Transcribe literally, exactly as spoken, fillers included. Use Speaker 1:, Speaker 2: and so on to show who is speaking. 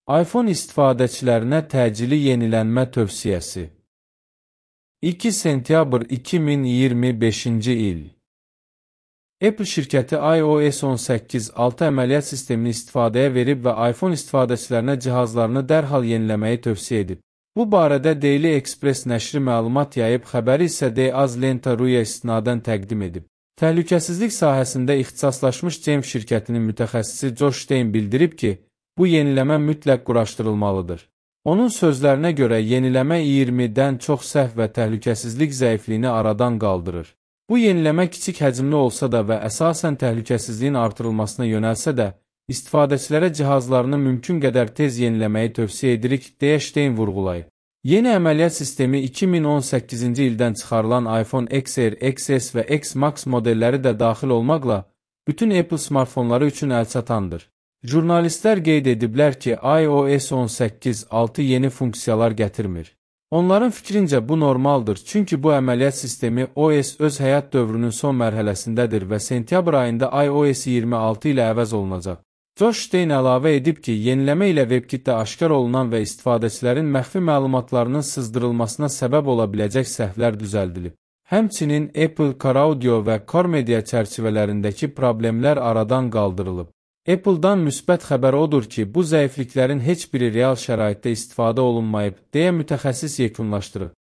Speaker 1: iPhone istifadəçilərinə təcili yenilənmə tövsiyəsi. iki sentyabr iki min iyirmi beşinci il. Apple şirkəti iOS on səkkiz nöqtə altı əməliyyat sistemini istifadəyə verib və iPhone istifadəçilərinə cihazlarını dərhal yeniləməyi tövsiyə edib. Bu barədə Daily Express nəşri məlumat yayıb, xəbəri isə The Az-Lenta.ru-ya istinadən təqdim edib. Təhlükəsizlik sahəsində ixtisaslaşmış James şirkətinin mütəxəssisi Josh Stein bildirib ki, bu yeniləmə mütləq quraşdırılmalıdır. Onun sözlərinə görə yeniləmə iyirmidən çox səhv və təhlükəsizlik zəifliyini aradan qaldırır. Bu yeniləmə kiçik həcmli olsa da və əsasən təhlükəsizliyin artırılmasına yönəlsə də, istifadəçilərə cihazlarını mümkün qədər tez yeniləməyi tövsiyə edirik, deyə Stein vurğulayıb. Yeni əməliyyat sistemi iki min on səkkizinci ildən çıxarılan iPhone X R, X S və X Max modelləri də daxil olmaqla bütün Apple smartfonları üçün əlçatandır. Jurnalistlər qeyd ediblər ki, iOS on səkkiz nöqtə altı yeni funksiyalar gətirmir. Onların fikrincə bu normaldır, çünki bu əməliyyat sistemi O S öz həyat dövrünün son mərhələsindədir və sentyabr ayında iOS iyirmi altı ilə əvəz olunacaq. Josh Stein əlavə edib ki, yeniləmə ilə WebKitdə aşkar olunan və istifadəçilərin məxfi məlumatlarının sızdırılmasına səbəb ola biləcək səhvlər düzəldilib. Həmçinin Apple CarAudio və CarMedia çərçivələrindəki problemlər aradan qaldırılıb. Apple-dan müsbət xəbər odur ki, bu zəifliklərin heç biri real şəraitdə istifadə olunmayıb, deyə mütəxəssis yekunlaşdırıb.